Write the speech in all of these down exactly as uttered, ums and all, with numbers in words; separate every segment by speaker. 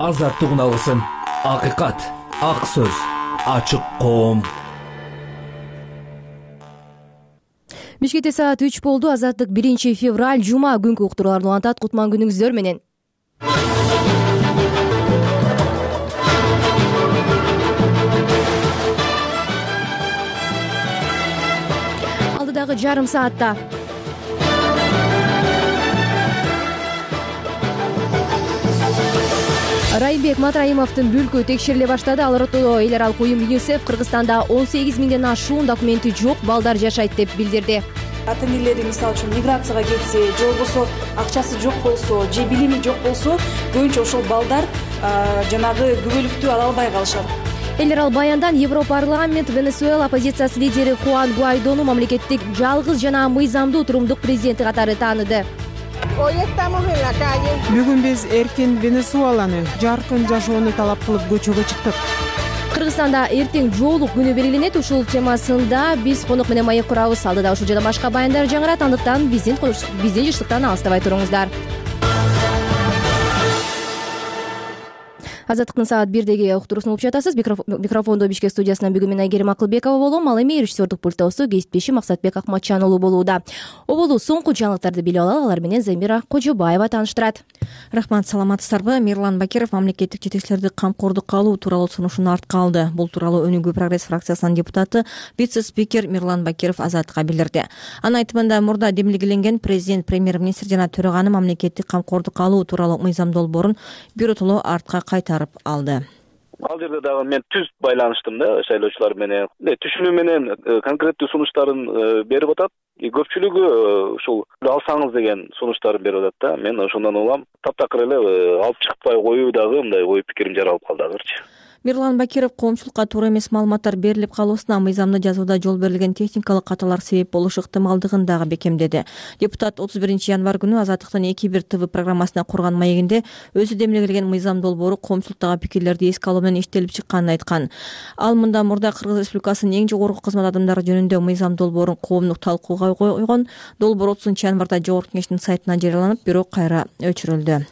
Speaker 1: азаттыгын алсын. Акыйкат, ак сөз, ачык коом.
Speaker 2: Бишкекте саат үч болду. Азаттык биринчи февраль жума күнкү уктурууларды улантат. Кутман күнүңүздөр менен. Алдыдагы жарым саатта Райымбек Матраимовдун бүлкү текшериле баштады. Ал ортодо эл аралык уюм ЮНИСЕФ Кыргызстанда он сегиз миңден ашуун документи жок балдар жашайт деп билдирди.
Speaker 3: Ата-энелери мисалы үчүн миграцияга кетсе, же болбосо акчасы жок болсо, же билими жок болсо, көбүнчө ошол балдар жанагы күбөлүктү ала албай калышат.
Speaker 2: Эл аралык баяндан Европарламент Венесуэла оппозициясы лидери Хуан Гуайдону мамлекеттик жалгыз жана мыйзамдуу турумдук президенти катары тааныды.
Speaker 4: Бүгүн биз эркин Венесуэланы, жаркын жашоону талап кылып көчөгө чыктык.
Speaker 2: Кыргызстанда эртең жоолук күнү белгиленет. Ушул темасында биз конок менен маек курабыз. Алдыда ушул жана башка баяндар жаңырат. Андыктан биздин биздин жыштыктан алыстабай туруңуздар. Азаттыктын саат бирдеги уктуруусун угуп жатасыз. Микрофондо Бишкек студиясынан бүгүн мен Айгерим Акылбекова болом. Ал эми режиссердук пульттосу кесиптешим Максатбек Акматчан уулу болууда. Оболу соңку жаңылыктарды билип алалы. Алар менен Замира Кожобаева тааныштырат.
Speaker 5: Рахмат, саламатсыздарбы? Мирлан Бакиров мамлекеттик жетекчилерди камкордукка алуу тууралуу сунушун артка алды. Бул тууралуу Өнүгүү прогресс фракциясынын депутаты, вице-спикер Мирлан Бакиров Азаттыкка билдирди. Анын айтымында мурда демилгеленген президент, премьер-министр жана төраганы мамлекеттик камкордукка алуу тууралуу мыйзам долбоорун биротоло артка кайтарып алды.
Speaker 6: Ал жерде дагы мен түз байланыштым да шайлоочулар менен. Түшүнүү менен конкреттүү сунуштарын берип атат. Көпчүлүгү ушул алсаңыз деген сунуштарын берип атат да. Мен ошондон улам таптакыр эле алып чыкпай коюу дагы мындай ой пикирим жаралып калды азырчы.
Speaker 5: Мирлан Бакиров коомчулукка туура эмес маалыматтар берилип калуусуна мыйзамды жазууда жол берилген техникалык каталар себеп болушу ыктымалдыгын дагы бекемдеди. Депутат отуз биринчи январь күнү Азаттыктын эки бир ТВ программасына курган маегинде өзү демилгелеген мыйзам долбоору коомчулуктагы пикирлерди эске алуу менен иштелип чыкканын айткан. Ал мында мурда Кыргыз Республикасынын эң жогорку кызмат адамдары жөнүндө мыйзам долбоорун коомдук талкууга койгон. Долбоор отузунчу январда Жогорку Кеңештин сайтынан жарыяланып, бирок кайра өчүрүлдү.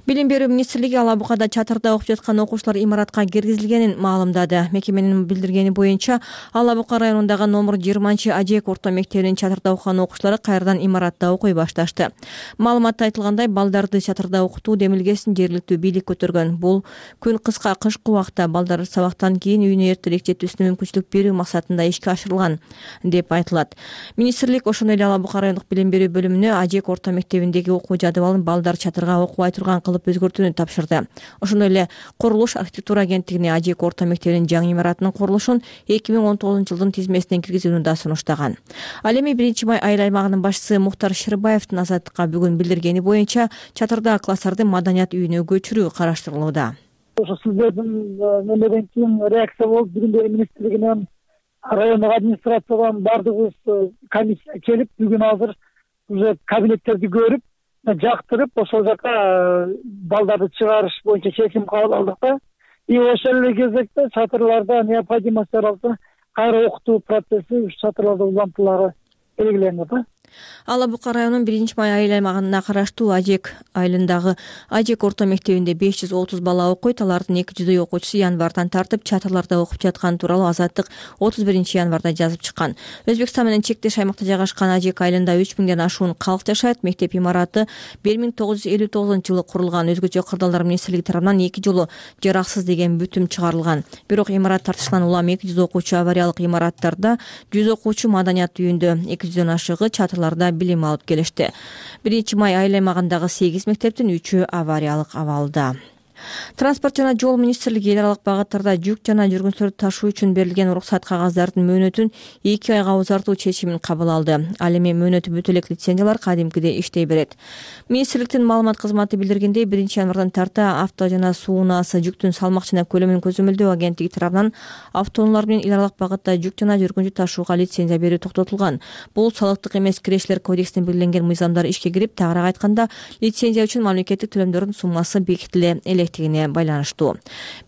Speaker 5: Билим берүү министрлиги Ала Букада чатырда окуп жаткан окуучулар имаратка киргизилгенин маалымдады. Мекеменин билдиргени боюнча, Ала Бука районундагы номер жыйырманчы Ажек орто мектебинин чатырда окуган окуучулары кайрадан имаратта окуй башташты. Маалыматта айтылгандай, балдарды чатырда окутуу демилгесин жергиликтүү бийлик көтөргөн. Бул күн кыска кышкы убакта балдар сабактан кийин үйүнө эртерээк жетүүсүнө мүмкүнчүлүк берүү максатында ишке ашырылган деп айтылат. Министрлик ошондой эле Ала Бука райондук билим берүү бөлүмүнө Ажек орто мектебиндеги окуу жадыбалын балдар чатырга окубай турган кылып өзгөртүүнү тапшырды. Ошондой эле курулуш архитектура агенттигине Ажек орто мектебинин жаңы имаратынын курулушун эки миң он тогузунчу жылдын тизмесине киргизүүнү да сунуштаган. Ал эми биринчи май айыл аймагынын башчысы Мухтар Шырбаевдин Азаттыкка бүгүн билдиргени боюнча, чатырда класстарды маданият үйүнө көчүрүү караштырылууда.
Speaker 7: Ошо сиздердин немеден кийин реакция болуп, бүгүн министрлигинен, райондук администрациядан баардыгыбыз комиссия келип, бүгүн азыр уже кабинеттерди көрүп, жактырып, ошол жака балдарды чыгарыш боюнча чечим кабыл алдык да. И ошол эле кезекте чатырларда необходимость жаралса, кайра окутуу процесси ушу чатырларда улантылары белгиленди да.
Speaker 5: Ала Бука районунун биринчи май айыл аймагына караштуу Ажек айылындагы Ажек орто мектебинде беш жүз отуз бала окуйт. Алардын эки жүздөй окуучусу январдан тартып чатырларда окуп жаткан тууралуу Азаттык отуз биринчи январда жазып чыккан. Өзбекстан менен чектеш аймакта жайгашкан Ажек айылында үч миңден ашуун калк жашайт. Мектеп имараты бир миң тогуз жүз элүү тогузунчу жылы курулган. Өзгөчө кырдаалдар министрлиги тарабынан эки жолу жараксыз деген бүтүм чыгарылган. Бирок имарат тартышынан улам эки жүз окуучу авариялык имараттарда, жүз окуучу маданият үйүндө, эки жүздөн ашыгы чатырларда билим алып келишти. биринчи май айыл аймагындагы сегиз мектептин үчөө авариялык абалда. Транспорт жана жол министрлиги эл аралык багыттарда жүк жана жүргүнчүлөрдү ташуу үчүн берилген уруксат кагаздардын мөөнөтүн эки айга узартуу чечимин кабыл алды. Ал эми мөөнөтү бүтө элек лицензиялар кадимкидей иштей берет. Министрликтин маалымат кызматы билдиргендей, биринчи январдан тарта авто жана суу унаасы жүктүн салмак жана көлөмүн көзөмөлдөө агенттиги тарабынан автоунаалар менен эл аралык багытта жүк жана жүргүнчү ташууга лицензия берүү токтотулган. Бул салыктык эмес кирешилер кодексинде белгиленген мыйзамдар ишке кирип, тагыраак айтканда, лицензия үчүн мамлекеттик төлөмдөрдүн суммасы бекитиле элек керектигине байланыштуу.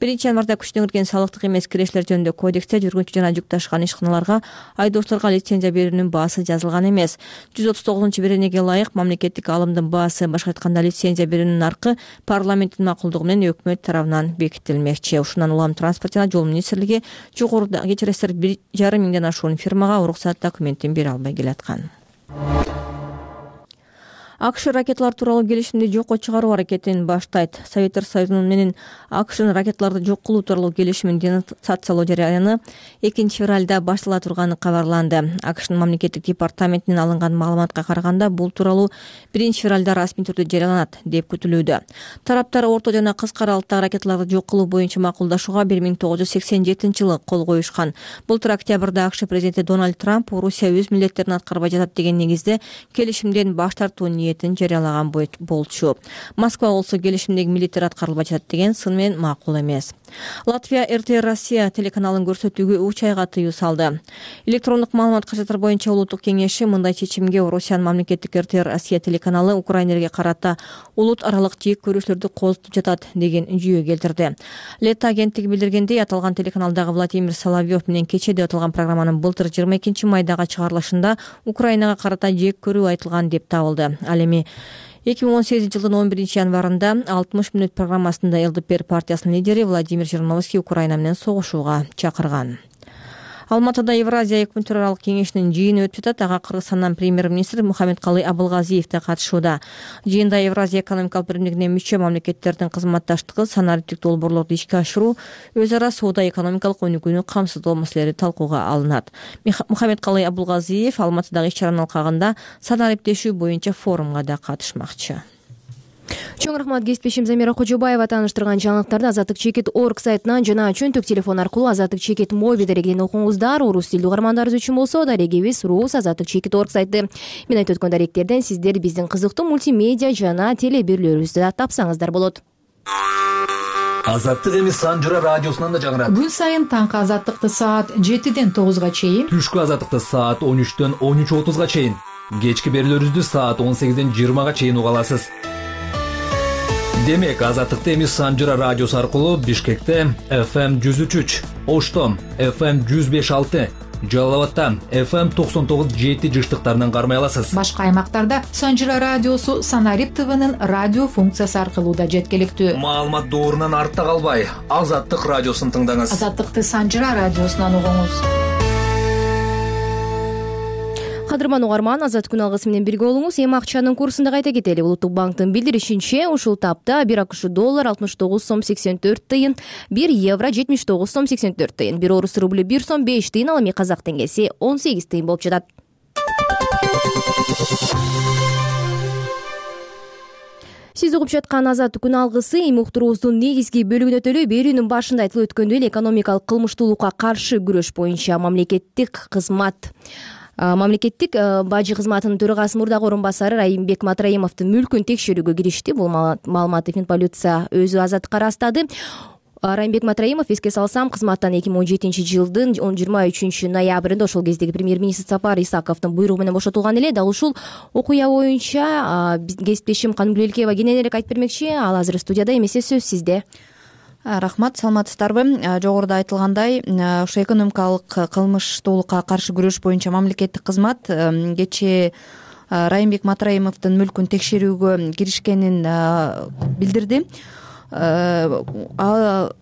Speaker 5: Биринчи январда күчүнө кирген салыктык эмес кирешилер жөнүндө кодексте жүргүнчү жана жүк ташыган ишканаларга айдоочуларга лицензия берүүнүн баасы жазылган эмес. жүз отуз тогузунчу беренеге ылайык мамлекеттик алымдын баасы, башка айтканда лицензия берүүнүн наркы парламенттин макулдугу менен өкмөт тарабынан бекитилмекчи. Ушундан улам транспорт жана жол министрлиги жогоруда кечиресиздер бир жарым миңден ашуун фирмага уруксат документин бере албай келаткан. АКШ ракеталар тууралуу келишимди жокко чыгаруу аракетин баштайт. Советтер Союзунун менен АКШнын ракеталарды жок кылуу тууралуу келишимин денонсациялоо жарыяны экинчи февралда баштала турганы кабарланды. АКШнын мамлекеттик департаментинен алынган маалыматка караганда бул тууралуу биринчи февралда расмий түрдө жарыяланат деп күтүлүүдө. Тараптар орто жана кыска аралыктагы ракеталарды жок кылуу боюнча макулдашууга бир миң тогуз жүз сексен жетинчи жылы кол коюшкан. Былтыр октябрда АКШ президенти Дональд Трамп Орусия өз милдеттерин аткарбай жатат деген негизде келишимден баш тартуу ниетин жарыялаган болчу. Москва болсо келишимдеги милдеттер аткарылбай жатат деген сын менен макул эмес. Латвия эр тэ эр Россия телеканалын көрсөтүүгө үч айга тыюу салды. Электрондук маалымат каражаттар боюнча улуттук кеңеши мындай чечимге Орусиянын мамлекеттик эр тэ эр Россия телеканалы Украинаге карата улут аралык жек көрүүчүлөрдү козутуп жатат деген жүйө келтирди. Лето агенттиги билдиргендей, аталган телеканалдагы Владимир Соловьев менен кече деп аталган программанын былтыр жыйырма экинчи майдагы чыгарылышында Украинага карата жек көрүү айтылган деп табылды. Ал эми эки миң он сегизинчи жылдын он биринчи январында алтымыш мүнөт программасында эл дэ пэ эр партиясынын лидери Владимир Жириновский Украина менен согушууга чакырган. Алматыда Евразия өкмөттөр аралык кеңешинин жыйыны өтүп жатат. Ага Кыргызстандын премьер-министри Мухаммедкалый Абылгазиев да катышууда. Жыйында Евразия экономикалык биримдигине мүчө мамлекеттердин кызматташтыгы, санариптик долбоорлорду ишке ашыруу, өз ара соода экономикалык өнүгүүнү камсыздоо маселелери талкууга алынат. Мухаммедкалый Абылгазиев Алматыдагы иш-чаранын алкагында санариптешүү боюнча форумга да катышмакчы.
Speaker 2: Чоң рахмат, кесиптешим Замира Кожобаева тааныштырган жаңылыктарды Азаттык чекит точка орг сайтынан жана чөнтөк телефон аркылуу Азаттык чекит мобил дарегинен окуңуздар. Орус тилдүү угармандарыбыз үчүн болсо дарегибиз Рус Азаттык чекит точка орг сайты. Мен айтып өткөн даректерден сиздер биздин кызыктуу мультимедиа жана телебирлөрүбүздү да тапсаңыздар болот.
Speaker 1: Азаттык эми Санжыра радиосунан да жаңырат.
Speaker 8: Күн сайын таңкы азаттыкты саат жетиден тогузга чейин,
Speaker 1: Түшкү азаттыкты саат он үчтөн он үч отузга чейин, кечки берүүлөрүбүздү саат он сегизден жыйырмага чейин уга аласыз. Демек, Азаттыкты эми Санжыра радиосу аркылуу Бишкекте эф эм жүз үч үч, Оштом эф эм жүз беш алты, Жалал абадта эф эм токсон тогуз жети жыштыктарынан кармай аласыз.
Speaker 8: Башка аймактарда Санжыра радиосу Санарип ТВнын радио функциясы аркылуу да жеткиликтүү.
Speaker 1: Маалымат доорунан артта калбай, Азаттык радиосун тыңдаңыз.
Speaker 8: Азаттыкты Санжыра радиосунан угуңуз.
Speaker 2: Кадырман угарман, Азат күн алгысы менен бирге болуңуз. Эми акчанын курсун да кайта кетели. Улуттук банктын билдиришинче, ушул тапта бир акш доллар алтымыш тогуз сом сексен төрт тыйын, бир евро жетимиш тогуз сом сексен төрт тыйын, бир орус рублю бир сом беш тыйын, ал эми казак теңгеси он сегиз тыйын болуп жатат. Сиз угуп жаткан Азат күн алгысы эми уктуруубуздун негизги бөлүгүнө төлөй берүүнүн башында айтылып өткөндөй эле экономикалык кылмыштуулукка каршы күрөш боюнча мамлекеттик кызмат Мамлекеттик бажы кызматынын төрагасы мурдагы орун басары Райымбек Матраимовдун мүлкүн текшерүүгө киришти. Бул маалыматты Финполиция өзү Азаттыкка ырастады. Райымбек Матраимов, эске салсам, кызматтан эки миң он жетинчи жылдын жыйырма үчүнчү ноябрында ошол кездеги премьер-министр Сапар Исаковдун буйругу менен бошотулган эле. Дал ушул окуя боюнча кесиптешим Канымгүл Элкеева кененирээк айтып бермекчи. Ал азыр студияда, эмесе сөз сизде.
Speaker 9: Рахмат, саламатсыздарбы? Жогоруда айтылгандай, ошо экономикалык кылмыштуулукка каршы күрөш боюнча мамлекеттик кызмат кечээ Райымбек Матраимовдун мүлкүн текшерүүгө киришкенин билдирди.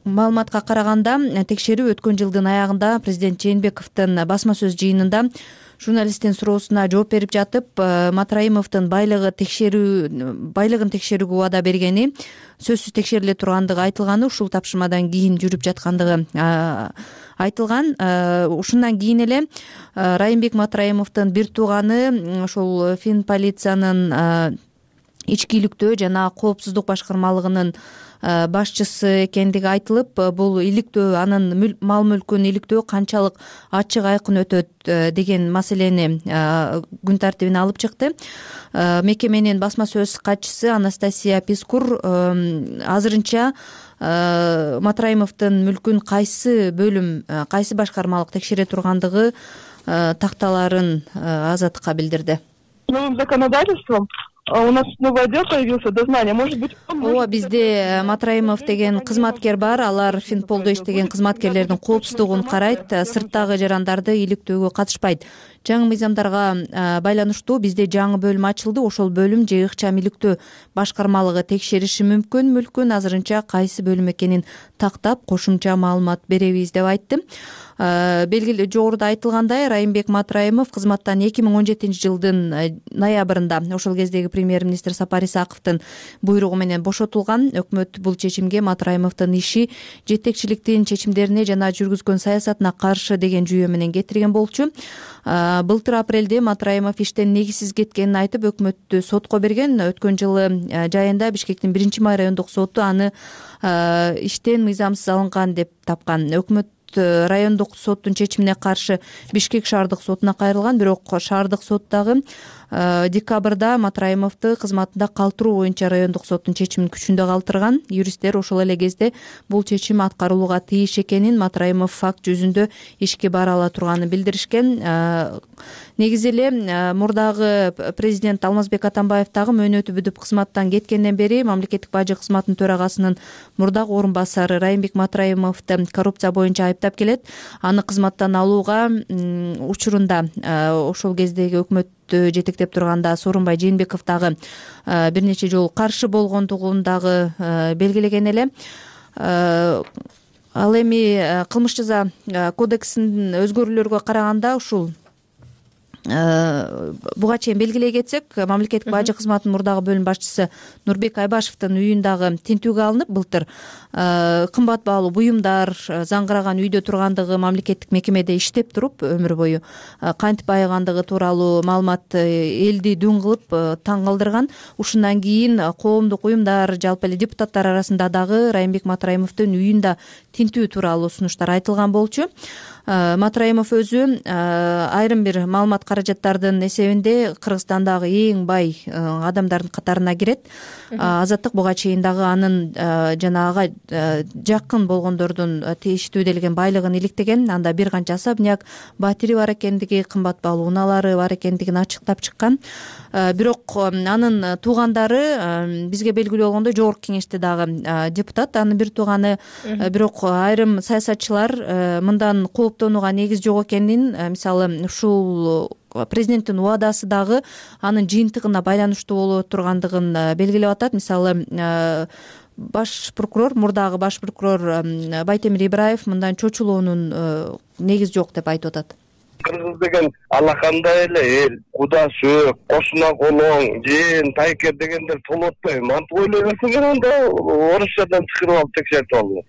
Speaker 9: Маалыматка караганда, текшерүү өткөн жылдын аягында президент Жээнбековдун басма сөз жыйынында журналисттин суроосуна жооп берип жатып, Матраимовдун байлыгы текшерүү байлыгын текшерүүгө убада бергени, сөзсүз текшериле тургандыгы айтылганы, ушул тапшырмадан кийин жүрүп жаткандыгы айтылган. Ушундан кийин эле Райымбек Матраимовдун бир тууганы ошол Финполициянын ички иликтөө жана коопсуздук башкармалыгынын башчысы экендиги айтылып, бул иликтөө, анын мал мүлкүн иликтөө канчалык ачык айкын өтөт деген маселени күн тартибине алып чыкты. Мекеменин басма сөз катчысы Анастасия Пискур азырынча Матраимовдун мүлкүн кайсы бөлүм, кайсы башкармалык текшере тургандыгы такталарын Азаттыкка билдирди.
Speaker 10: Новым законодательством у нас новый отдел появился, дознание, может быть.
Speaker 9: ооба, бизде Матраимов деген кызматкер бар. Алар Финполдо иштеген кызматкерлердин коопсуздугун карайт, сырттагы жарандарды иликтөөгө катышпайт. Жаңы мыйзамдарга байланыштуу бизде жаңы бөлүм ачылды. Ошол бөлүм же ыкчам иликтөө башкармалыгы текшериши мүмкүн мүлкүн азырынча кайсы бөлүм экенин тактап кошумча маалымат беребиз деп айтты. Белгилүү жогоруда айтылгандай, Райымбек Матраимов кызматтан эки миң он жетинчи жылдын ноябрында ошол кездеги премьер-министр Сапар Исаковдун буйругу менен бошотулган. Өкмөт бул чечимге Матраимовдун иши жетекчиликтин чечимдерине жана жүргүзгөн саясатына каршы деген жүйө менен кетирген болчу. Былтыр апрелде Матраимов иштен негизсиз кеткенин айтып, өкмөттү сотко берген. Өткөн жылы жайында Бишкектин биринчи май райондук соту аны иштен мыйзамсыз алынган деп тапкан. Өкмөт райондук соттун чечимине каршы Бишкек шаардык сотуна кайрылган, бирок шаардык сот дагы декабрда Матраимовду кызматында калтыруу боюнча райондук соттун чечимин күчүндө калтырган. Юристтер ошол эле кезде бул чечим аткарылууга тийиш экенин, Матраимов факт жүзүндө ишке бара ала турганын билдиришкен. Негизи эле мурдагы президент Алмазбек Атамбаев дагы мөөнөтү бүтүп кызматтан кеткенден бери мамлекеттик бажы кызматынын төрагасынын мурдагы орун басары Райымбек Матраимовду коррупция боюнча айыптап келет. Аны кызматтан алууга учурунда ошол кездеги өкмөт жетектеп турганда Сооронбай Жээнбеков дагы бир нече жолу каршы болгондугун дагы белгилеген эле. Ал эми кылмыш жаза кодексинин өзгөрүүлөргө караганда ушул буга чейин белгилей кетсек, мамлекеттик бажы кызматынын мурдагы бөлүм башчысы Нурбек Айбашевдин үйүндагы тинтүүгө алынып, былтыр кымбат баалуу буюмдар, заңгыраган үйдө тургандыгы, мамлекеттик мекемеде иштеп туруп өмүр бою кантип айыгандыгы тууралуу маалымат элди дүн кылып таң калтырган. Ушундан кийин коомдук уюмдар, жалпы эле депутаттар арасында дагы Райымбек Матраимовдун үйүндө тинтүү тууралуу сунуштар айтылган болчу. Матраимов өзү айрым бир маалымат каражаттардын эсебинде Кыргызстандагы эң бай адамдардын катарына кирет. Азаттык буга чейин дагы анын жана ага жакын болгондордун тийиштүү делген байлыгын иликтеген. Анда бир канча особняк, батири бар экендиги, кымбат баалуу унаалары бар экендигин ачыктап чыккан. Бирок анын туугандары бизге белгилүү болгондой жогорку кеңеште дагы депутат, анын бир тууганы. Бирок айрым саясатчылар мындан кооптонууга негиз жок экенин, мисалы ушул президенттин убадасы дагы анын жыйынтыгына байланыштуу боло тургандыгын белгилеп атат. Мисалы баш прокурор, мурдагы баш прокурор Байтемир Ибраев мындан чочулоонун негизи жок деп айтып атат.
Speaker 11: Кыргыз деген алакандай эле эл, кудасы, кошуна колоң, жыйын, тайкер дегендер толуп атпайбы? Мантип ойлой берсеңер, анда орусчадан чыгарып алып текшертип алыңыз.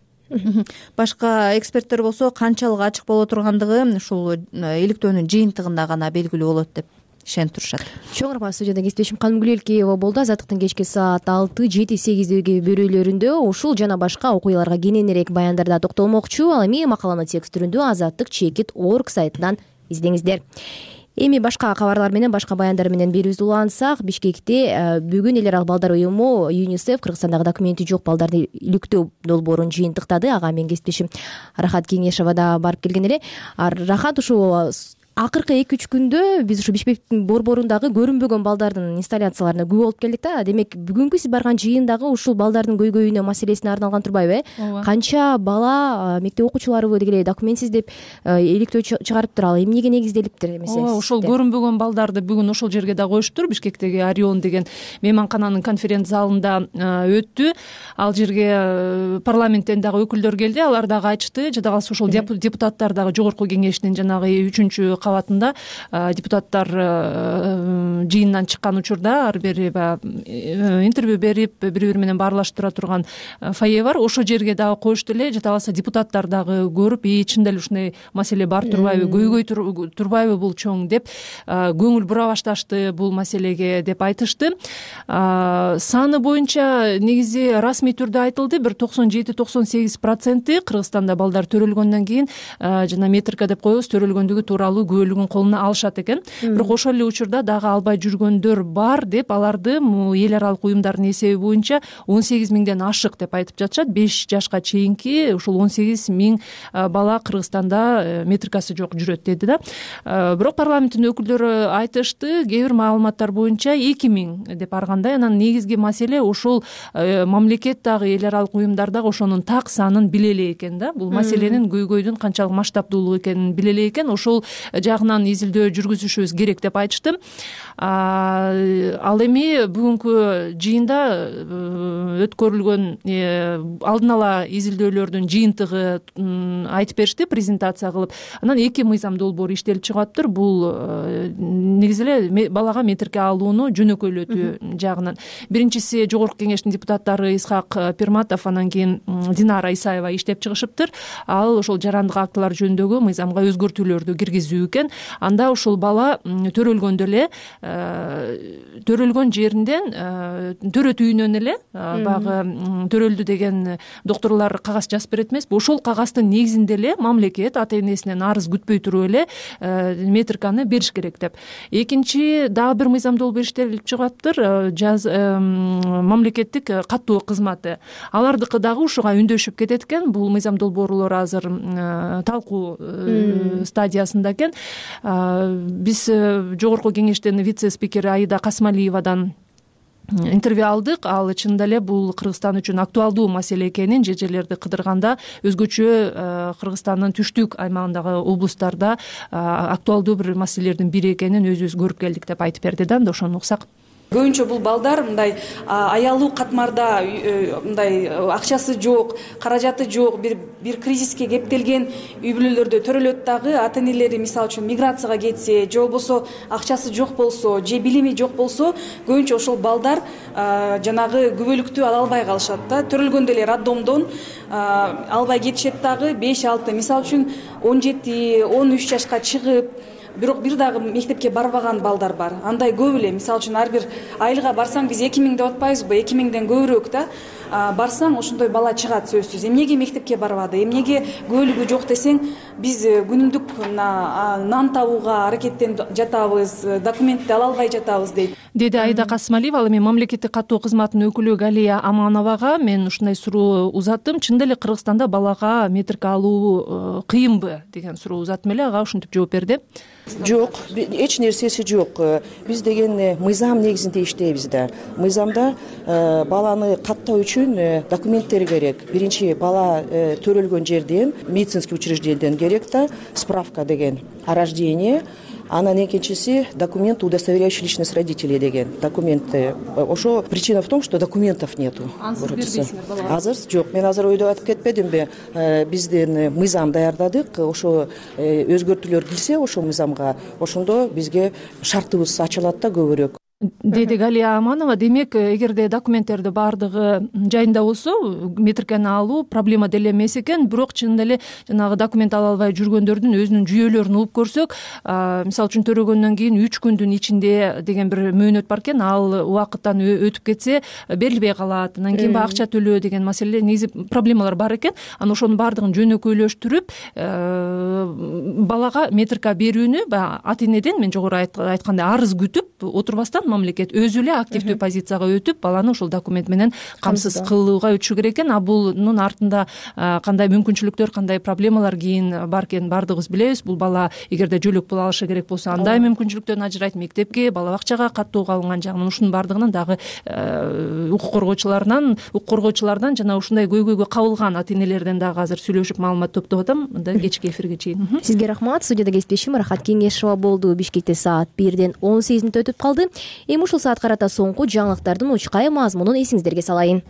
Speaker 9: Башка эксперттер болсо канчалык ачык боло тургандыгы ушул иликтөөнүн жыйынтыгында гана белгилүү болот деп ишенип турушат.
Speaker 2: Чоң рахмат. Студияда кесиптешим Канымгүл Элкеева болду. Азаттыктын кечки саат алты, жети, сегиздеги берүүлөрүндө ушул жана башка окуяларга кененирээк баяндарда токтолмокчу. Ал эми макаланы текст түрүндө азаттык чекит точка орг сайтынан издеңиздер. Эми башка кабарлар менен, башка баяндар менен берүүбүздү улантсак, Бишкекте бүгүн эл аралык балдар уюму ЮНИСЕФ Кыргызстандагы документи жок балдарды иликтөө долбоорун жыйынтыктады. Ага менин кесиптешим Рахат Кеңешова да барып келген эле. Рахат, ушул акыркы эки үч күндө биз ушу Бишкектин борборундагы көрүнбөгөн балдардын инсталляцияларына күбө болуп келдик да. Демек, бүгүнкү сиз барган жыйындагы ушул балдардын көйгөйүнө, маселесине арналган турбайбы, э? Канча бала, мектеп окуучуларыбы деги документсиз деп иликтөө чыгарыптыр, ал эмнеге негизделиптир эмесе?
Speaker 12: Ооба, ошол көрүнбөгөн балдарды бүгүн ошол жерге да коюштур. Бишкектеги Орион деген мейманкананын конференц залында өттү. Ал жерге парламенттен дагы өкүлдөр келди. Алар дагы айтышты. Жада калса ошол депутаттар дагы жогорку кеңештин жанагы үчүнчү кабатында депутаттар жыйындан чыккан учурда ар бери интервью берип, бири-бири менен баарлаштыра турган фойе бар. Ошол жерге дагы коюшту эле. Жада калса депутаттар дагы көрүп, и чында эле ушундай маселе бар турбайбы, көйгөй турбайбы бул чоң деп көңүл бура башташты бул маселеге деп айтышты. Саны боюнча негизи расмий түрдө айтылды. Бир токсон жети токсон сегиз проценти Кыргызстанда балдар төрөлгөндөн кийин жана метрика деп коебуз, төрөлгөндүгү тууралуу күбөлүгүн колуна алышат экен. Бирок ошол эле учурда дагы албай жүргөндөр бар деп аларды эл аралык уюмдардын эсеби боюнча он сегиз миңден ашык деп айтып жатышат. беш жашка чейинки ушул он сегиз миң бала Кыргызстанда метрикасы жок жүрөт деди да. Бирок парламенттин өкүлдөрү айтышты, кээ бир маалыматтар боюнча эки миң деп баргандай. Анан негизги маселе ошол мамлекет дагы эл аралык уюмдар дагы ошонун так санын биле элек экен да. Бул маселенин көйгөйдүн канчалык масштабдуулугу экенин биле элек экен. Ошол жагынан изилдөө жүргүзүшүбүз керек деп айтышты. Ал эми бүгүнкү жыйында өткөрүлгөн алдын ала изилдөөлөрдүн жыйынтыгы айтып беришти презентация кылып. Анан эки мыйзам долбоору иштелип чыгып. Бул негизи эле балага метрке алууну жөнөкөйлөтүү жагынан. Биринчиси Жогорку кеңештин депутаттары Исхак Пирматов, анан кийин Динара Исаева иштеп чыгышыптыр. Ал ошол жарандык актылар жөнүндөгү мыйзамга өзгөртүүлөрдү киргизүү экен. Анда ошол бала төрөлгөндө эле төрөлгөн жеринден төрөт үйүнөн эле баягы төрөлдү деген докторлор кагаз жазып берет эмеспи? Ошол кагаздын негизинде эле мамлекет ата энесинен арыз күтпөй туруп эле метриканы бериш керек деп. Экинчи дагы бир мыйзам долбоор иштелип чыгаптыр. Жаз мамлекеттик каттоо кызматы. Алардыкы дагы ушуга үндөшүп кетет экен. Бул мыйзам долбоорлор азыр талкуу стадиясында экен. Биз Жогорку кеңештин вице-спикери Аида Касмалиевадан интервью алдык. Ал чынында эле бул Кыргызстан үчүн актуалдуу маселе экенин, же жерлерди кыдырганда өзгөчө Кыргызстандын түштүк аймагындагы облустарда актуалдуу бир маселелердин бири экенин өзүбүз көрүп келдик деп айтып берди да. Анда ошону уксак.
Speaker 3: Көбүнчө бул балдар мындай аялуу катмарда, мындай акчасы жок, каражаты жок, бир бир кризиске кептелген үй бүлөлөрдө төрөлөт дагы. Ата энелери мисалы үчүн миграцияга кетсе, же болбосо акчасы жок болсо, же билими жок болсо, көбүнчө ошол балдар жанагы күбөлүктү ала албай калышат да. Төрөлгөндө эле роддомдон албай кетишет дагы. беш алты мисалы үчүн он жети он үч жашка чыгып, бирок бир дагы мектепке барбаган балдар бар. Андай көп эле. Мисалы үчүн ар бир айылга барсаң, биз эки миң деп атпайбызбы? эки миңден көбүрөөк да. Барсаң ошондой бала чыгат сөзсүз. Эмнеге мектепке барбады? Эмнеге күбөлүгү жок десең, биз күнүмдүк нан табууга аракеттенип жатабыз, документти ала албай жатабыз дейт.
Speaker 12: Деди Аида Касмалиева. Ал эми мамлекеттик каттоо кызматынын өкүлү Галия Амановага мен ушундай суроо узаттым. Чынында эле Кыргызстанда балага метрика алуу кыйынбы деген суроо узаттым эле. Ага ушинтип жооп берди.
Speaker 13: Жок, эч нерсеси жок. Биз деген мыйзам негизинде иштейбиз да. Мыйзамда баланы каттоо үчүн документтер керек. Биринчи бала төрөлгөн жерден, медицинский учреждениеден керек да, справка деген о рождении. Анан экинчиси документ, удостоверяющий личность родителей деген документы. Ошо причина в том, что документов нету. Азыр жок. Мен азыр ойдоп айтып кетпедимби? Биздин мыйзам даярдадык. Ошо өзгөртүүлөр кирсе ошо мыйзамга, ошондо бизге шартыбыз ачылат да көбүрөөк.
Speaker 12: Деди Галия Аманова. Демек, эгерде документтерди баардыгы жайында болсо, метрикени алуу проблема деле эмес экен. Бирок чынында эле жанагы документ ала албай жүргөндөрдүн өзүнүн жүйөлөрүн угуп көрсөк, мисалы үчүн төрөгөндөн кийин үч күндүн ичинде деген бир мөөнөт бар экен. Ал убакыттан өтүп кетсе берилбей калат. Анан кийин баягы акча төлөө деген маселе, негизи проблемалар бар экен. Анан ошонун баардыгын жөнөкөйлөштүрүп, балага метрика берүүнү баягы ата энеден, мен жогору айткандай, арыз күтүп отурбастан мамлекет өзү эле активдүү позицияга өтүп, баланы ошол документ менен камсыз кылууга өтүшү керек экен. А бунун артында кандай мүмкүнчүлүктөр, кандай проблемалар кийин бар экенин баардыгыбыз билебиз. Бул бала эгерде жөлөк пул алышы керек болсо, андай мүмкүнчүлүктөрдөн ажырайт, мектепке, бала бакчага каттоого алынган жагынан, ушунун баардыгынан дагы укук коргоочулардан, укук коргоочулардан жана ушундай көйгөйгө кабылган ата энелерден дагы азыр сүйлөшүп маалымат топтоп атам. Мындай кечки эфирге чейин.
Speaker 2: Сизге рахмат. Студияда кесиптешим Рахат Кеңешова болду. Бишкекте саат бирден он сегиз мүнөт өтүп калды. Эми ушул саат карата соңку жаңылыктардын учкай мазмунун эсиңиздерге салайын.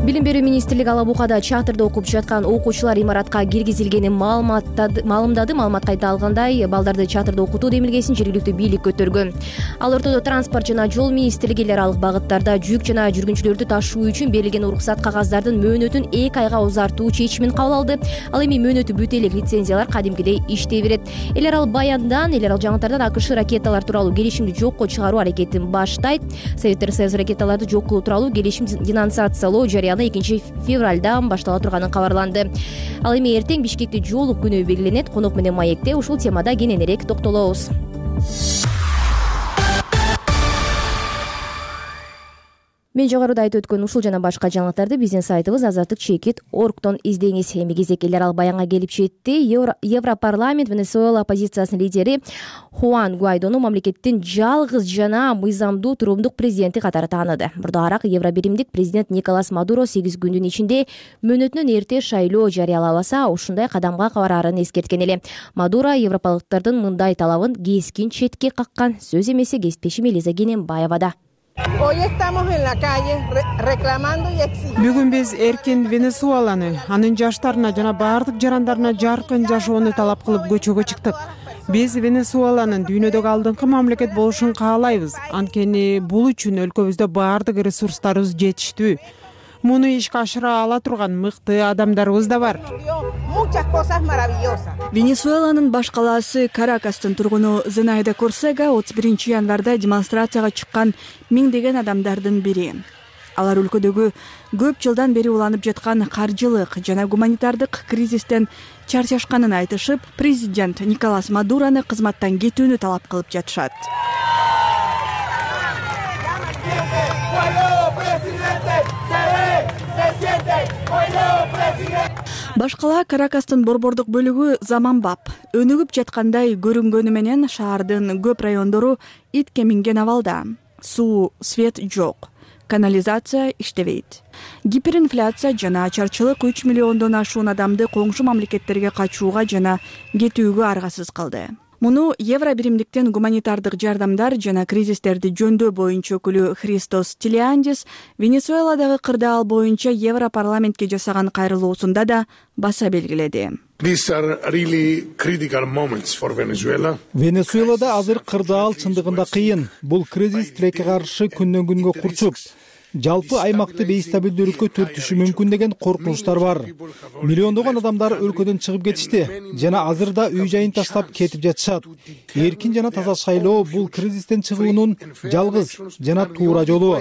Speaker 2: Билим берүү министрлиги Ала Букада чатырда окуп жаткан окуучулар имаратка киргизилгенин маалыматтады. Маалымат кайта алгандай, балдарды чатырда окутуу демилгесин жергиликтүү бийлик көтөргөн. Ал ортодо транспорт жана жол министрлиги эл аралык багыттарда жүк жана жүргүнчүлөрдү ташуу үчүн берилген уруксат кагаздардын мөөнөтүн эки айга узартуу чечимин кабыл алды. Ал эми мөөнөтү бүтө элек лицензиялар кадимкидей иштей берет. Эл аралык баяндан, эл аралык жаңылыктардан АКШ ракеталар тууралуу келишимди жокко чыгаруу аракетин баштайт. Советтер Союзу ракеталарды жок кылуу тууралуу келишим денонсациялоо жарыяланды. планы экинчи февралдан баштала турганы кабарланды. Ал эми эртең Бишкекте жоолук күнү белгиленет. Конок менен маекте ушул темада кененирээк токтолобуз. Мен жогоруда айтып өткөн ушул жана башка жаңылыктарды биздин сайтыбыз азаттык чекит оргтон издеңиз. Эми кезек эл аралык баянга келип жетти. Европарламент Венесуэла оппозициясынын лидери Хуан Гуайдону мамлекеттин жалгыз жана мыйзамдуу туруумдук президенти катары тааныды. Мурдагыраак евробиримдик президент Николас Мадуро сегиз күндүн ичинде мөөнөтүнөн эрте шайлоо жарыялабаса, ушундай кадамга бараарын эскерткен эле. Мадуро европалыктардын мындай талабын кескин четке каккан. Сөз эмеси кесиптешим Элиза Кененбаевада.
Speaker 4: Бүгүн биз эркин Венесуэланы, анын жаштарына жана баардык жарандарына жаркын жашоону талап кылып көчөгө чыктык. Биз Венесуэланын дүйнөдөгү алдыңкы мамлекет болушун каалайбыз. Анткени бул үчүн өлкөбүздө баардык ресурстарыбыз жетиштүү. Муну ишке ашыра ала турган мыкты адамдарыбыз да бар.
Speaker 14: Венесуэланын баш калаасы Каракастын тургуну Зенайда Корсега отуз биринчи январда демонстрацияга чыккан миңдеген адамдардын бири. Алар өлкөдөгү көп жылдан бери уланып жаткан каржылык жана гуманитардык кризистен чарчашканын айтышып, президент Николас Мадурону кызматтан кетүүнү талап кылып жатышат. Башкала Каракастын борбордук бөлүгү заманбап, өнүгүп жаткандай көрүнгөнү менен шаардын көп райондору итке минген абалда. Суу, свет жок, канализация иштебейт. Гиперинфляция жана ачарчылык үч миллиондон ашуун адамды коңшу мамлекеттерге качууга жана кетүүгө аргасыз кылды. Муну Евробиримдиктен гуманитардык жардамдар жана кризистерди жөндөө боюнча өкүлү Христос Тилиандис Венесуэладагы кырдаал боюнча Европарламентке жасаган кайрылуусунда да баса белгиледи.
Speaker 15: Венесуэлада азыр кырдаал чындыгында кыйын. Бул кризис тилекке каршы күндөн күнгө курчуп, жалпы аймакты бейстабилдүүлүккө түртүшү мүмкүн деген коркунучтар бар. Миллиондогон адамдар өлкөдөн чыгып кетишти жана азыр да үй жайын таштап кетип жатышат. Эркин жана таза шайлоо бул кризистен чыгуунун жалгыз жана туура жолу.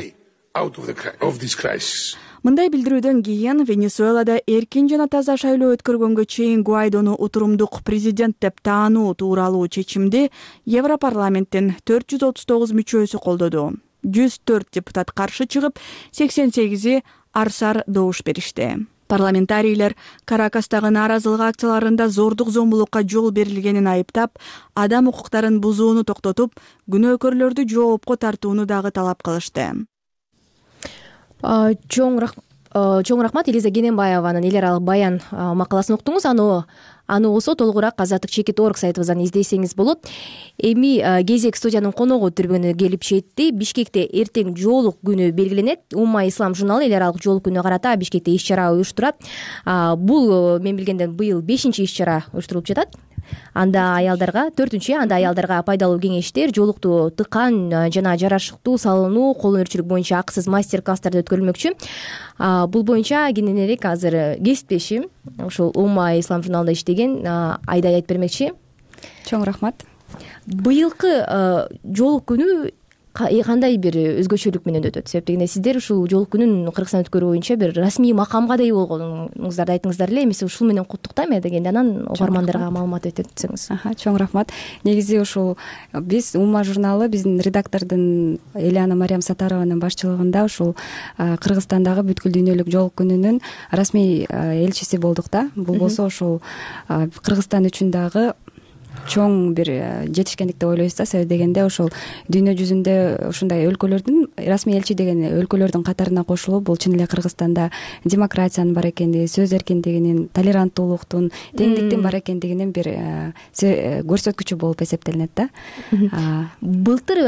Speaker 14: Мындай билдирүүдөн кийин Венесуэлада эркин жана таза шайлоо өткөргөнгө чейин Гуайдону утурумдук президент деп таануу тууралуу чечимди Европарламенттин төрт жүз отуз тогуз мүчөсү колдоду. жүз төрт депутат каршы чыгып, сексен сегизи арсар добуш беришти. Парламентарийлер Каракастагы нааразылык акцияларында зордук зомбулукка жол берилгенин айыптап, адам укуктарын бузууну токтотуп, күнөөкөрлөрдү жоопко тартууну дагы талап кылышты.
Speaker 2: Чоң рахмат Элиза Кененбаеванын эл аралык баян макаласын уктуңуз. Аны аны болсо толугураак азаттык чекит орг сайтыбыздан издесеңиз болот. Эми кезек студиянын коногу түрбөнү келип жетти. Бишкекте эртең жоолук күнү белгиленет. Умма ислам журналы эл аралык жоолук күнүнө карата Бишкекте иш-чара уюштурат. Бул мен билгенден быйыл бешинчи иш-чара уюштурулуп жатат. Анда аялдарга төртүнчү анда аялдарга пайдалуу кеңештер, жоолукту тыкан жана жарашыктуу салынуу, кол өнөрчүлүк боюнча акысыз мастер-класстар өткөрүлмөкчү. Бул боюнча кененирээк азыр кесиптешим ушул Умма ислам журналында иштеген Айдай айтып бермекчи.
Speaker 16: Чоң рахмат.
Speaker 2: Быйылкы жоолук күнү кандай бир өзгөчөлүк менен өтөт? Себеп дегенде сиздер ушул жоолук күнүн Кыргызстанда өткөрүү боюнча бир расмий макамга да ээ болгонуңуздарды айттыңыздар эле. Эмесе ушул менен куттуктайм дегенде анан угармандарга маалымат өтөтсөңүз.
Speaker 16: Чоң рахмат. Негизи ушул биз Умма журналы биздин редактордун Элиана Мариям Сатарованын башчылыгында ушул Кыргызстандагы бүткүл дүйнөлүк жоолук күнүнүн расмий элчиси болдук да. Бул болсо ушул Кыргызстан үчүн дагы чоң бир жетишкендик деп ойлойбуз да. Себеп дегенде ошол дүйнө жүзүндө ушундай өлкөлөрдүн расмий элчи деген өлкөлөрдүн катарына кошулуп, бул чын эле Кыргызстанда демократиянын бар экендиги, сөз эркиндигинин, толеранттуулуктун, теңдиктин бар экендигинин бир көрсөткүчү болуп эсептелинет да.
Speaker 2: Былтыр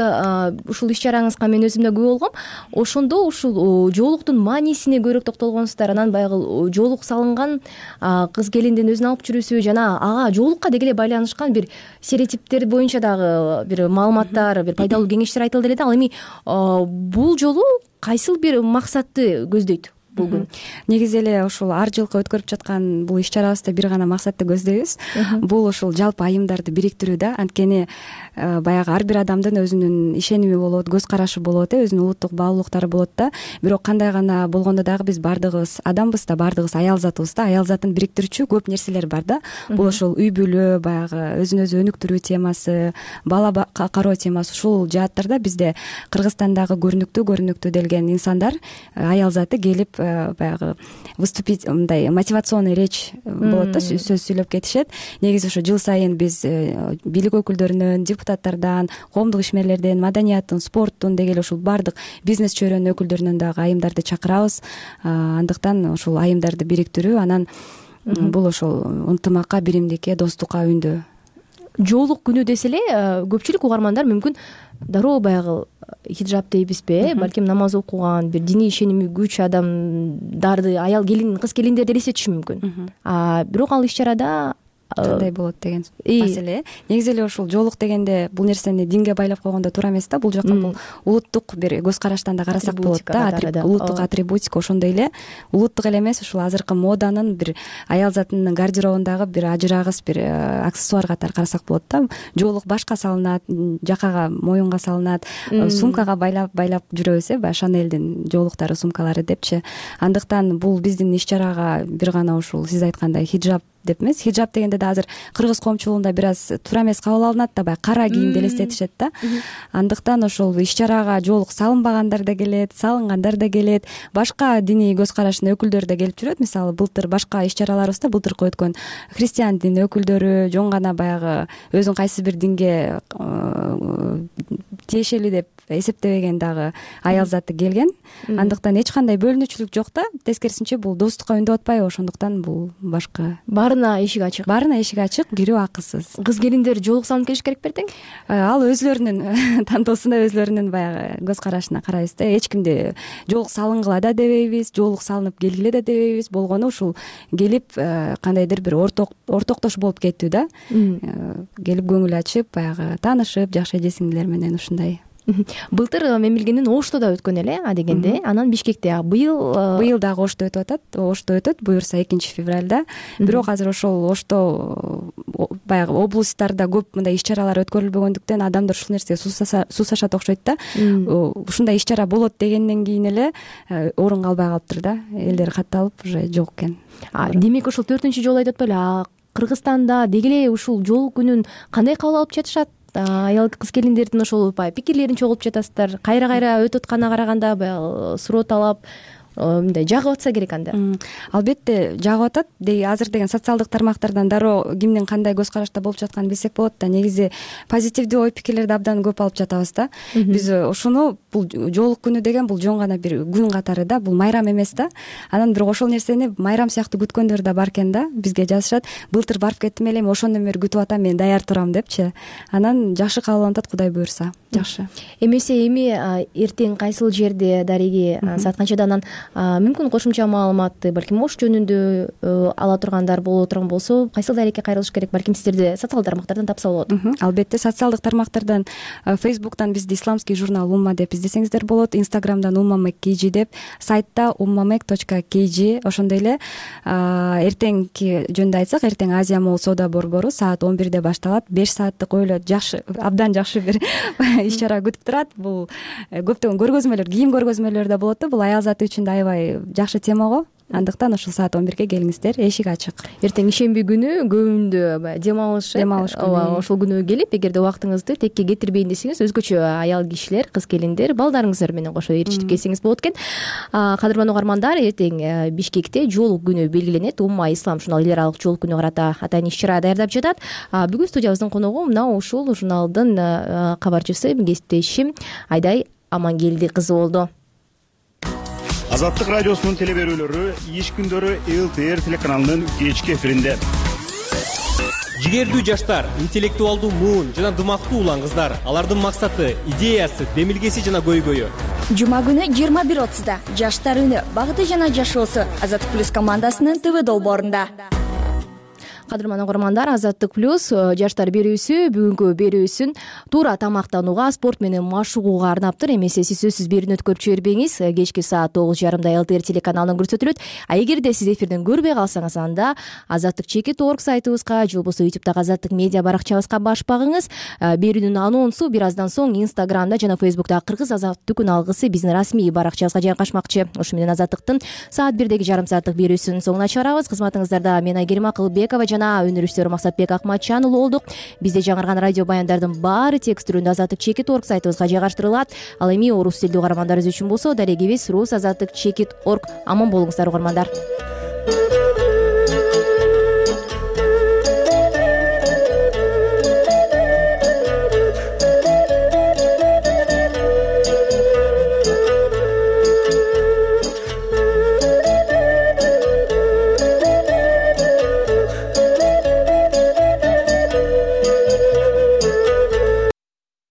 Speaker 2: ушул иш-чараңызга мен өзүм да күбө болгом. Ошондо ушул жоолуктун маанисине көбүрөөк токтолгонсуздар. Анан баягы жоолук салынган кыз келиндин өзүн алып жүрүүсү жана ага жоолукка деги эле байланышкан бир стереотиптер боюнча дагы бир маалыматтар, бир пайдалуу кеңештер айтылды эле да. Ал эми бул жолу кайсыл бир максатты көздөйт
Speaker 16: бул күн. Негизи эле ушул ар жылкы өткөрүп жаткан бул иш чарабызда бир гана максатты көздөйбүз. Бул ушул жалпы айымдарды бириктирүү да. Анткени баягы ар бир адамдын өзүнүн ишеними болот, көз карашы болот, э өзүнүн улуттук баалуулуктары болот да. Бирок кандай гана болгондо дагы биз баардыгыбыз адамбыз да, баардыгыбыз аял затыбыз да. Аял затын бириктирүүчү көп нерселер бар да. Бул ошол үй бүлө, баягы өзүн өзү өнүктүрүү темасы, бала кароо темасы, ушул жааттарда бизде Кыргызстандагы көрүнүктүү көрүнүктүү делген инсандар, аял заты келип баягы выступить, мындай мотивационный речь болот да, сөз сүйлөп кетишет. Негизи ошо жыл сайын биз бийлик өкүлдөрүнөн, депутаттардан, коомдук ишмерлерден, маданияттын, спорттун деги эле ушул баардык бизнес чөйрөнүн өкүлдөрүнөн дагы айымдарды чакырабыз. Андыктан ушул айымдарды бириктирүү, анан бул ошол ынтымакка, биримдикке, достукка үндөө.
Speaker 2: Жоолук күнү десе эле көпчүлүк угармандар мүмкүн дароо баягы хиджаб дейбизби, балким намаз окуган, бир диний ишеними күч адамдарды, аял келин, кыз келиндерди элестетиши мүмкүн. А бирок ал иш чарада
Speaker 16: кандай болот деген маселе. Негизи эле ушул жоолук дегенде бул нерсени динге байлап койгондо туура эмес да. Бул жака бул улуттук бир көз караштан да карасак болот да. Улуттук атрибутика, ошондой эле улуттук эле эмес, ушул азыркы моданын бир аял затынын гардеробундагы бир ажырагыс бир аксессуар катары карасак болот да. Жоолук башка салынат, жакага, моюнга салынат, сумкага байлап байлап жүрөбүз, э, баягы Шанелдин жоолуктары, сумкалары депчи. Андыктан бул биздин иш чарага бир гана ушул сиз айткандай хиджаб деп эмес. Хиджаб дегенде да азыр кыргыз коомчулугунда бир аз туура эмес кабыл алынат да, баягы кара кийимди элестетишет да. Андыктан ошол иш чарага жоолук салынбагандар да келет, салынгандар да келет, башка диний көз караштын өкүлдөрү да келип жүрөт. Мисалы былтыр башка иш чараларыбызда былтыркы өткөн христиан дини өкүлдөрү, жон гана баягы өзүн кайсы бир динге тиешелүү деп эсептебеген дагы аял заты келген. Андыктан эч кандай бөлүнүүчүлүк жок да. Тескерисинче бул достукка үндөп атпайбы, ошондуктан бул башка.
Speaker 2: Баарына эшик ачык.
Speaker 16: Баарына эшик ачык, кирүү акысыз.
Speaker 2: Кыз келиндер жоолук салынып келиш керек бертең?
Speaker 16: Ал өзлөрүнүн тандоосуна, өзлөрүнүн баягы көз карашына карайбыз да. Эч кимди жоолук салынгыла да дебейбиз, жоолук салынып келгиле да дебейбиз. Болгону ушул келип кандайдыр бир орток ортоктош болуп кеттүү да. Келип көңүл ачып, баягы таанышып, жакшы эже сиңдилер менен ушундай.
Speaker 2: Былтыр мемилгендин Ошто да өткөн эле, а дегенде, анан Бишкекте. Быйыл
Speaker 16: быйыл дагы Ошто өтүп атат. Ошто өтөт, буюрса экинчи февралда. Бирок азыр ошол Ошто баягы облустарда көп мындай иш чаралар өткөрүлбөгөндүктөн адамдар ушул нерсеге суусашат окшойт да. Ушундай иш чара болот дегенден кийин эле орун калбай калыптыр да. Элдер катталып уже жок экен.
Speaker 2: Демек ушул төртүнчү жолу айтып атпайлы, Кыргызстанда деги эле ушул жоолук күнүн кандай кабыл алып жатышат? Аял кыз келиндердин ошол пикирлерин чогултуп жатасыздар. Кайра-кайра өтүп атканына караганда баягы суроо талап мындай жагып атса керек анда.
Speaker 16: Албетте жагып атат. Азыр деген социалдык тармактардан дароо кимдин кандай көз карашта болуп жатканын билсек болот да. Негизи позитивдүү ой пикирлерди абдан көп алып жатабыз да. Биз ошону, бул жоолук күнү деген бул жон гана бир күн катары да, бул майрам эмес да. Анан бирок ошол нерсени майрам сыяктуу күткөндөр да бар экен да. Бизге жазышат: былтыр барып кеттим эле, ошондон бери күтүп атам, мен даяр турам депчи. Анан жакшы кабыл алынат, Кудай буюрса. Жакшы.
Speaker 2: Эмесе эми эртең кайсыл жерде дареги саат канчада, анан мүмкүн кошумча маалыматты балким Ош жөнүндө ала тургандар боло турган болсо, кайсыл дарекке кайрылыш керек? Балким сиздерди социалдык тармактардан тапса болот.
Speaker 16: Албетте социалдык тармактардан, Фейсбуктан бизди исламский журнал Умма деп издесеңиздер болот, Инстаграмдан уммамек kg деп, сайтта уммамек точка kg. Ошондой эле эртеңки жөнүндө айтсак, эртең Азия Молл соода борбору саат он бирде башталат. беш сааттык ойло жакшы, абдан жакшы бир иш чара күтүп турат. Бул көптөгөн көргөзмөлөр, кийим көргөзмөлөрү да болот да. Бул аял заты үчүн да аябай жакшы тема го. Андыктан ошол саат он бирге келиңиздер, эшик ачык.
Speaker 2: Эртең ишемби күнү көбүндө дем алыш,
Speaker 16: дем алыш күнү.
Speaker 2: Ошол күнү келип, эгерде убактыңызды текке кетирбейин десеңиз, өзгөчө аял кишилер, кыз келиндер, балдарыңыздар менен кошо ээрчитип келсеңиз болот экен. Кадырман угармандар, эртең Бишкекте жоолук күнү белгиленет. Умма ислам журналы эл аралык жоолук күнүгө карата атайын иш чара даярдап жатат. Бүгүн студиябыздын коногу мына ушул журналдын кабарчысы, кесиптешим Айдай Амангелди кызы болду.
Speaker 17: Азаттык радиосунун теле берүүлөрү иш күндөрү эл тэ эр телеканалынын кечки эфиринде.
Speaker 18: Жигердүү жаштар, интеллектуалдуу муун жана дымактуу улан кыздар, алардын максаты, идеясы, демилгеси жана көйгөйү.
Speaker 19: Жума күнү жыйырма бир отузда жаштар үнү, багыты жана жашоосу Азаттык плюс командасынын тэ вэ долбоорунда.
Speaker 2: кадырман угармандар, Азаттык плюс жаштар берүүсү бүгүнкү берүүсүн туура тамактанууга, спорт менен машыгууга арнаптыр. Эмесе сиз сөзсүз берүүнү өткөрүп жибербеңиз. Кечки саат тогуз жарымда эл тэ эр телеканалынан көрсөтүлөт. А эгерде сиз эфирден көрбөй калсаңыз, анда азаттык чекит точка орг сайтыбызга же болбосо ютубтагы азаттык медиа баракчабызга баш багыңыз. Берүүнүн анонсу бир аздан соң инстаграмда жана фейсбуктагы кыргыз азаттык күн алгысы биздин расмий баракчабызга жайгашмакчы. Ошо менен азаттыктын саат бирдеги жарым сааттык берүүсүнүн соңуна чыгарабыз. Кызматыңыздарда мен Айгерим Акылбекова жана өнөрүштөр Максатбек Акматчанұлы болдук. Бизде жаңырган радио баяндардын баары текст түрүндө азаттык чекит точка орг сайтыбызга жайгаштырылат. Ал эми орус тилдүү угармандарыбыз үчүн болсо дарегибиз рус азаттык чекит точка орг. Аман болуңуздар угармандар.